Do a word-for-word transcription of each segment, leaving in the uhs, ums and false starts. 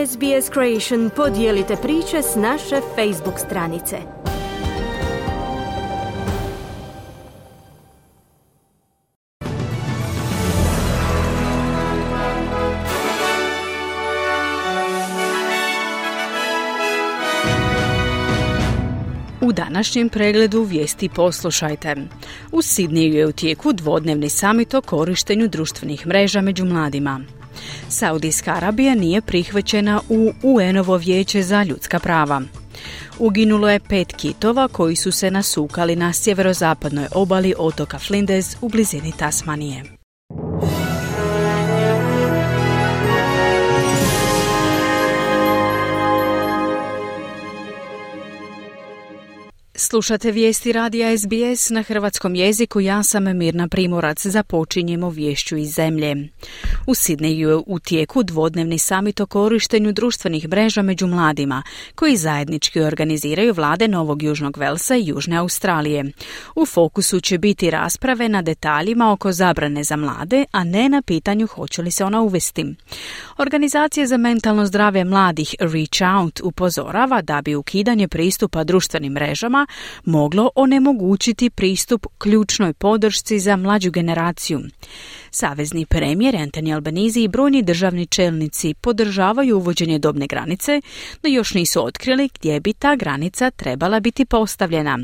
S B S Creation podijelite priče s naše Facebook stranice. U današnjem pregledu vijesti poslušajte. U Sidneju je u tijeku dvodnevni samit o korištenju društvenih mreža među mladima. Saudijska Arabija nije prihvaćena u U N-ovo vijeće za ljudska prava. Uginulo je pet kitova koji su se nasukali na sjeverozapadnoj obali otoka Flinders u blizini Tasmanije. Slušate vijesti radija S B S na hrvatskom jeziku, ja sam Mirna Primorac, započinjemo viješću iz zemlje. U Sidneju je u tijeku dvodnevni samit o korištenju društvenih mreža među mladima, koji zajednički organiziraju vlade Novog Južnog Velsa i Južne Australije. U fokusu će biti rasprave na detaljima oko zabrane za mlade, a ne na pitanju hoće li se ona uvesti. Organizacija za mentalno zdravlje mladih Reach Out upozorava da bi ukidanje pristupa društvenim mrežama moglo onemogućiti pristup ključnoj podršci za mlađu generaciju. Savezni premijer Anthony Albanese i brojni državni čelnici podržavaju uvođenje dobne granice, no još nisu otkrili gdje bi ta granica trebala biti postavljena.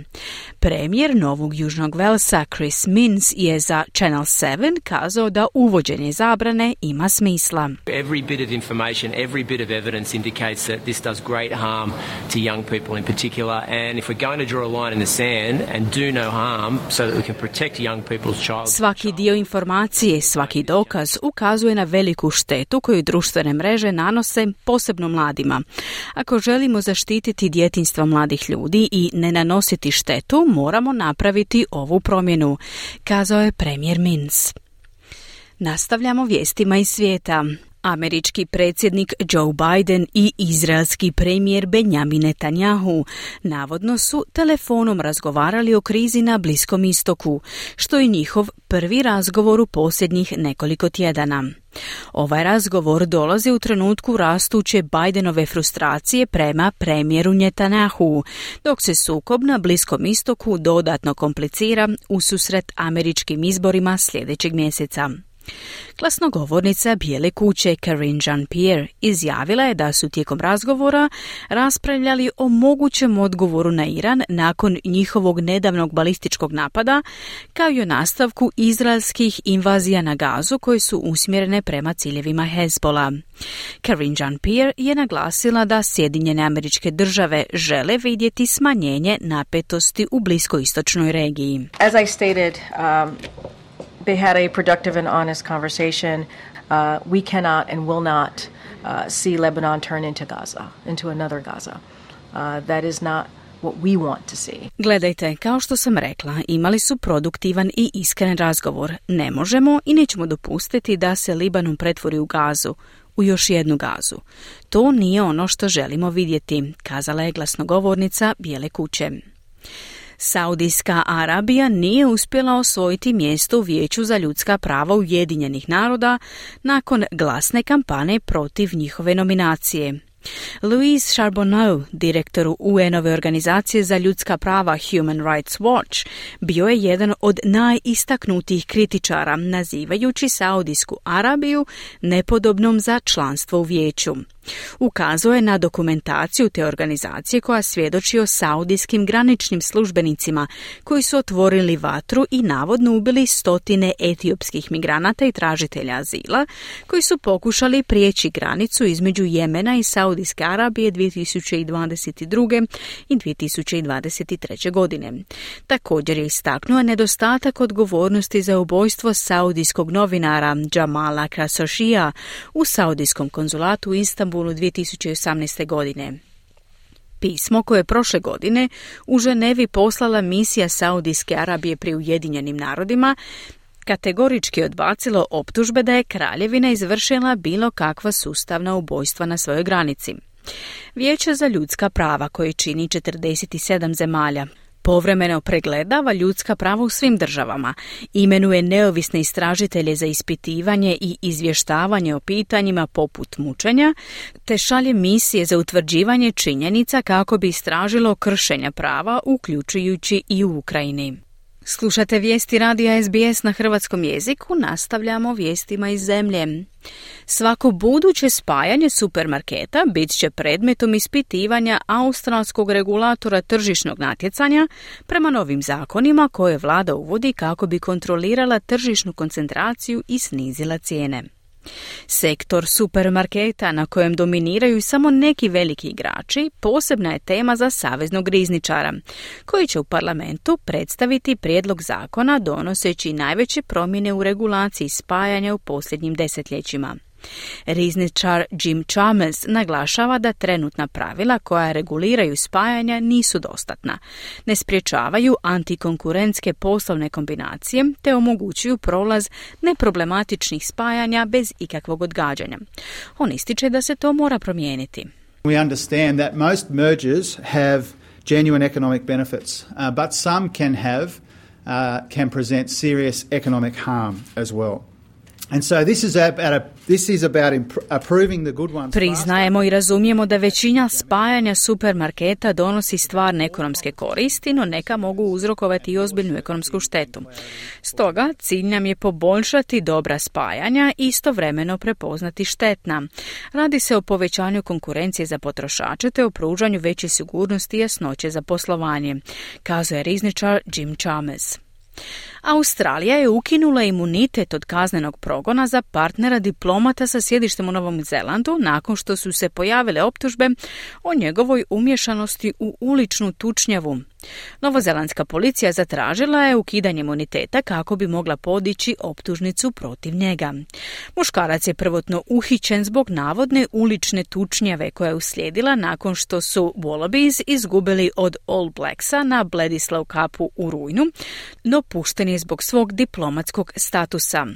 Premijer Novog Južnog Velsa Chris Minns je za Channel sedam kazao da uvođenje zabrane ima smisla. Every bit of information, every bit of evidence indicates that this does great harm to young people in particular, and if we're going to draw a line in the sand and do no harm so that we can protect young people's child. Svaki dio informacije, svaki dokaz ukazuje na veliku štetu koju društvene mreže nanose posebno mladima. Ako želimo zaštititi djetinjstvo mladih ljudi i ne nanositi štetu, moramo napraviti ovu promjenu, kazao je premijer Minns. Nastavljamo vijestima iz svijeta. Američki predsjednik Joe Biden i izraelski premijer Benjamin Netanyahu navodno su telefonom razgovarali o krizi na Bliskom istoku, što je njihov prvi razgovor u posljednjih nekoliko tjedana. Ovaj razgovor dolazi u trenutku rastuće Bidenove frustracije prema premijeru Netanyahu, dok se sukob na Bliskom istoku dodatno komplicira ususret američkim izborima sljedećeg mjeseca. Glasnogovornica Bijele kuće Karine Jean-Pierre izjavila je da su tijekom razgovora raspravljali o mogućem odgovoru na Iran nakon njihovog nedavnog balističkog napada, kao i o nastavku izraelskih invazija na Gazu koje su usmjerene prema ciljevima Hezbola. Karine Jean-Pierre je naglasila da Sjedinjene Američke Države žele vidjeti smanjenje napetosti u bliskoistočnoj regiji. As I stated, um... They had a productive and honest conversation. Uh, we cannot and will not uh, see Lebanon turn into Gaza, into another Gaza. Uh, that is not what we want to see. Gledajte, kao što sam rekla, imali su produktivan i iskren razgovor. Ne možemo i nećemo dopustiti da se Libanon pretvori u Gazu, u još jednu Gazu. To nije ono što želimo vidjeti, kazala je glasnogovornica Bijele kuće. Saudijska Arabija nije uspjela osvojiti mjesto u Vijeću za ljudska prava Ujedinjenih naroda nakon glasne kampanje protiv njihove nominacije. Louise Charbonneau, direktoru U N-ove organizacije za ljudska prava Human Rights Watch, bio je jedan od najistaknutijih kritičara, nazivajući Saudijsku Arabiju nepodobnom za članstvo u vijeću. Ukazao je na dokumentaciju te organizacije koja svjedoči o saudijskim graničnim službenicima koji su otvorili vatru i navodno ubili stotine etiopskih migranata i tražitelja azila koji su pokušali prijeći granicu između Jemena i Saudijske Arabije dvije tisuće dvadeset druge i dvije tisuće dvadeset treće godine. Također je istaknuo nedostatak odgovornosti za ubojstvo saudijskog novinara Jamala Khashoggija u saudijskom konzulatu u Istanbulu dvije tisuće osamnaeste. godine. Pismo koje je prošle godine u Ženevi poslala misija Saudijske Arabije pri Ujedinjenim narodima kategorički odbacilo optužbe da je kraljevina izvršila bilo kakva sustavna ubojstva na svojoj granici. Vijeće za ljudska prava, koje čini četrdeset sedam zemalja, povremeno pregledava ljudska prava u svim državama, imenuje neovisne istražitelje za ispitivanje i izvještavanje o pitanjima poput mučenja, te šalje misije za utvrđivanje činjenica kako bi istražilo kršenja prava, uključujući i u Ukrajini. Slušate vijesti radija S B S na hrvatskom jeziku, nastavljamo vijestima iz zemlje. Svako buduće spajanje supermarketa bit će predmetom ispitivanja australskog regulatora tržišnog natjecanja prema novim zakonima koje vlada uvodi kako bi kontrolirala tržišnu koncentraciju i snizila cijene. Sektor supermarketa na kojem dominiraju samo neki veliki igrači posebna je tema za saveznog rizničara, koji će u parlamentu predstaviti prijedlog zakona donoseći najveće promjene u regulaciji spajanja u posljednjim desetljećima. Rizničar Jim Chalmers naglašava da trenutna pravila koja reguliraju spajanja nisu dostatna, ne sprječavaju antikonkurentske poslovne kombinacije te omogućuju prolaz neproblematičnih spajanja bez ikakvog odgađanja. On ističe da se to mora promijeniti. We understand that most mergers have genuine economic benefits, uh, but some can have uh, can present serious economic harm as well. And so this is about a, this is about imp- approving the good ones. Priznajemo i razumijemo da većina spajanja supermarketa donosi stvarne ekonomske koristi, no neka mogu uzrokovati i ozbiljnu ekonomsku štetu. Stoga cilj nam je poboljšati dobra spajanja i istovremeno prepoznati štetna. Radi se o povećanju konkurencije za potrošače te o pružanju veće sigurnosti i jasnoće za poslovanje, kazuje rizničar Jim Chalmers. Australija je ukinula imunitet od kaznenog progona za partnera diplomata sa sjedištem u Novom Zelandu nakon što su se pojavile optužbe o njegovoj umješanosti u uličnu tučnjavu. Novozelandska policija zatražila je ukidanje imuniteta kako bi mogla podići optužnicu protiv njega. Muškarac je prvotno uhićen zbog navodne ulične tučnjave koja je uslijedila nakon što su Wallabies izgubili od All Blacksa na Bledisloe Cupu u rujnu, no pušten je zbog svog diplomatskog statusa.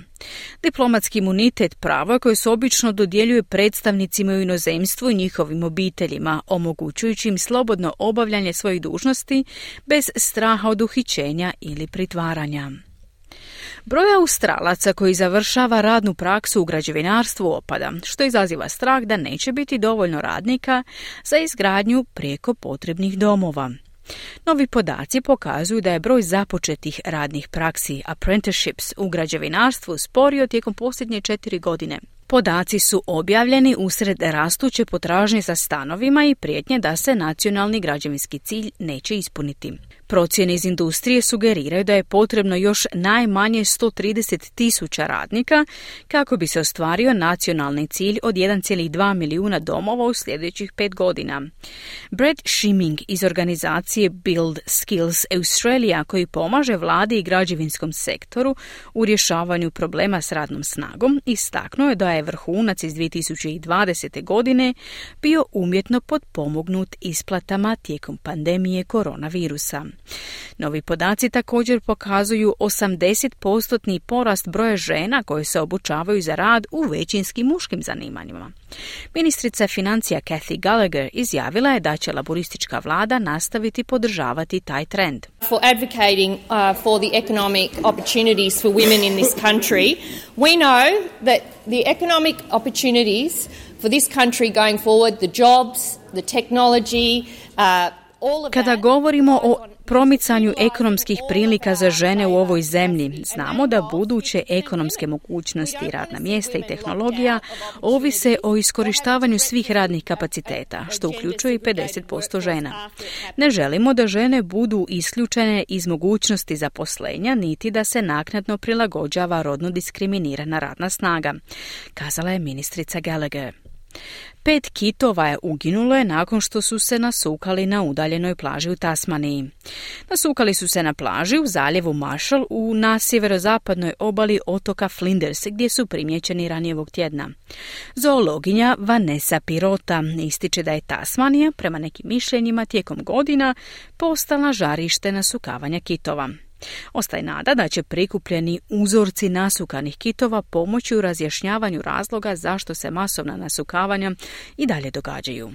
Diplomatski imunitet pravo je koje se obično dodjeljuje predstavnicima u inozemstvu i njihovim obiteljima, omogućujući im slobodno obavljanje svojih dužnosti bez straha od uhićenja ili pritvaranja. Broj Australaca koji završava radnu praksu u građevinarstvu opada, što izaziva strah da neće biti dovoljno radnika za izgradnju prijeko potrebnih domova. Novi podaci pokazuju da je broj započetih radnih praksi, apprenticeships, u građevinarstvu sporio tijekom posljednje četiri godine. Podaci su objavljeni usred rastuće potražnje za stanovima i prijetnje da se nacionalni građevinski cilj neće ispuniti. Procjene iz industrije sugeriraju da je potrebno još najmanje sto trideset tisuća radnika kako bi se ostvario nacionalni cilj od jedan zarez dva milijuna domova u sljedećih pet godina. Brad Shiming iz organizacije Build Skills Australia, koji pomaže vladi i građevinskom sektoru u rješavanju problema s radnom snagom, istaknuo je da je vrhunac iz dvije tisuće dvadesete. godine bio umjetno potpomognut isplatama tijekom pandemije koronavirusa. Novi podaci također pokazuju osamdeset posto porast broja žena koje se obučavaju za rad u većinski muškim zanimanjima. Ministrica financija Cathy Gallagher izjavila je da će laboristička vlada nastaviti podržavati taj trend. For advocating uh, for the economic opportunities for women in this country, we know that the economic opportunities for this country going forward, the jobs, the technology, uh, Kada govorimo o promicanju ekonomskih prilika za žene u ovoj zemlji, znamo da buduće ekonomske mogućnosti, radna mjesta i tehnologija ovise o iskorištavanju svih radnih kapaciteta, što uključuje i pedeset posto žena. Ne želimo da žene budu isključene iz mogućnosti zaposlenja, niti da se naknadno prilagođava rodno diskriminirana radna snaga, kazala je ministrica Gallagher. Pet kitova je uginulo je nakon što su se nasukali na udaljenoj plaži u Tasmaniji. Nasukali su se na plaži u zaljevu Marshall u na sjeverozapadnoj obali otoka Flinders, gdje su primijećeni ranije ovog tjedna. Zoologinja Vanessa Pirota ističe da je Tasmanija, prema nekim mišljenjima, tijekom godina postala žarište nasukavanja kitova. Ostaje nada da će prikupljeni uzorci nasukanih kitova pomoći u razjašnjavanju razloga zašto se masovna nasukavanja i dalje događaju.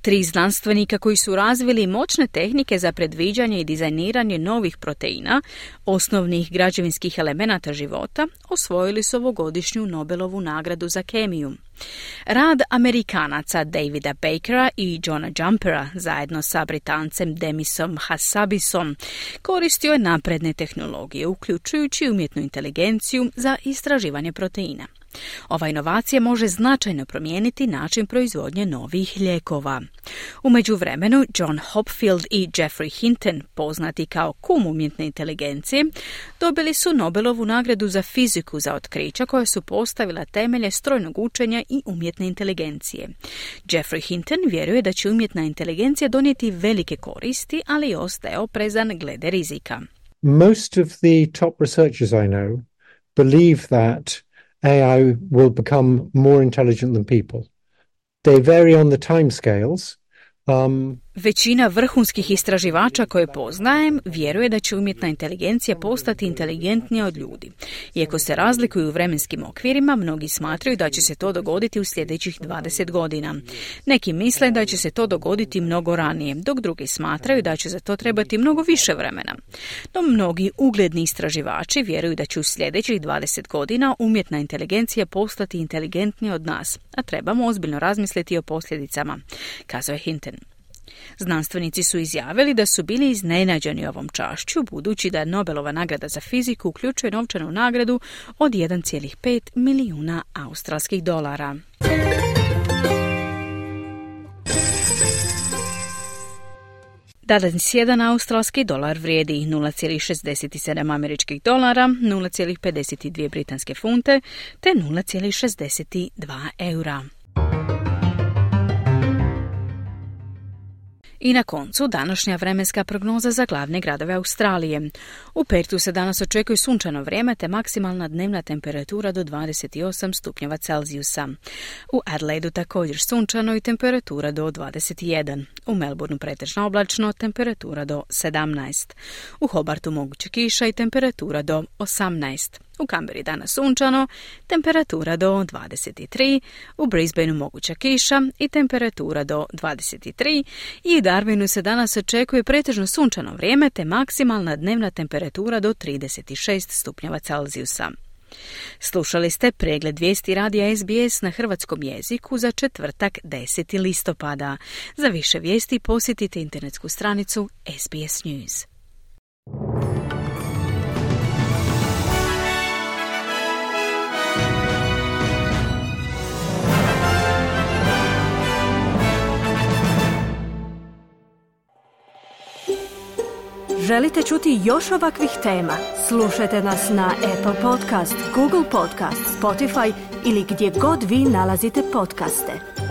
Tri znanstvenika koji su razvili moćne tehnike za predviđanje i dizajniranje novih proteina, osnovnih građevinskih elemenata života, osvojili su ovogodišnju Nobelovu nagradu za kemiju. Rad Amerikanaca Davida Bakera i Johna Jumpera zajedno sa Britancem Demisom Hassabisom koristio je napredne tehnologije, uključujući umjetnu inteligenciju za istraživanje proteina. Ova inovacija može značajno promijeniti način proizvodnje novih lijekova. U međuvremenu, John Hopfield i Geoffrey Hinton, poznati kao kum umjetne inteligencije, dobili su Nobelovu nagradu za fiziku za otkrića koja su postavila temelje strojnog učenja i umjetne inteligencije. Geoffrey Hinton vjeruje da će umjetna inteligencija donijeti velike koristi, ali ostaje oprezan glede rizika. Most of the top researchers I know believe that A I will become more intelligent than people. They vary on the timescales. Um, Većina vrhunskih istraživača koje poznajem vjeruje da će umjetna inteligencija postati inteligentnija od ljudi. Iako se razlikuju u vremenskim okvirima, mnogi smatraju da će se to dogoditi u sljedećih dvadeset godina. Neki misle da će se to dogoditi mnogo ranije, dok drugi smatraju da će za to trebati mnogo više vremena. No mnogi ugledni istraživači vjeruju da će u sljedećih dvadeset godina umjetna inteligencija postati inteligentnija od nas, a trebamo ozbiljno razmisliti o posljedicama, kazao je Hinton. Znanstvenici su izjavili da su bili iznenađeni ovom čašću, budući da Nobelova nagrada za fiziku uključuje novčanu nagradu od jedan zarez pet milijuna australskih dolara. Danas jedan australski dolar vrijedi nula zarez šezdeset sedam američkih dolara, nula zarez pedeset dvije britanske funte te nula zarez šezdeset dva eura. I na koncu današnja vremenska prognoza za glavne gradove Australije. U Pertu se danas očekuje sunčano vrijeme te maksimalna dnevna temperatura do dvadeset osam stupnjeva Celzijusa. U Adelaidu također sunčano i temperatura do dvadeset jedan. U Melbourneu pretežno oblačno, temperatura do sedamnaest. U Hobartu moguće kiša i temperatura do osamnaest. U Canberri danas sunčano, temperatura do dvadeset tri, u Brisbaneu moguća kiša i temperatura do dvadeset tri i u Darwinu se danas očekuje pretežno sunčano vrijeme te maksimalna dnevna temperatura do trideset šest stupnjeva Celzijusa. Slušali ste pregled vijesti radija S B S na hrvatskom jeziku za četvrtak deseti listopada. Za više vijesti posjetite internetsku stranicu S B S News. Želite čuti još ovakvih tema? Slušajte nas na Apple Podcast, Google Podcast, Spotify ili gdje god vi nalazite podcaste.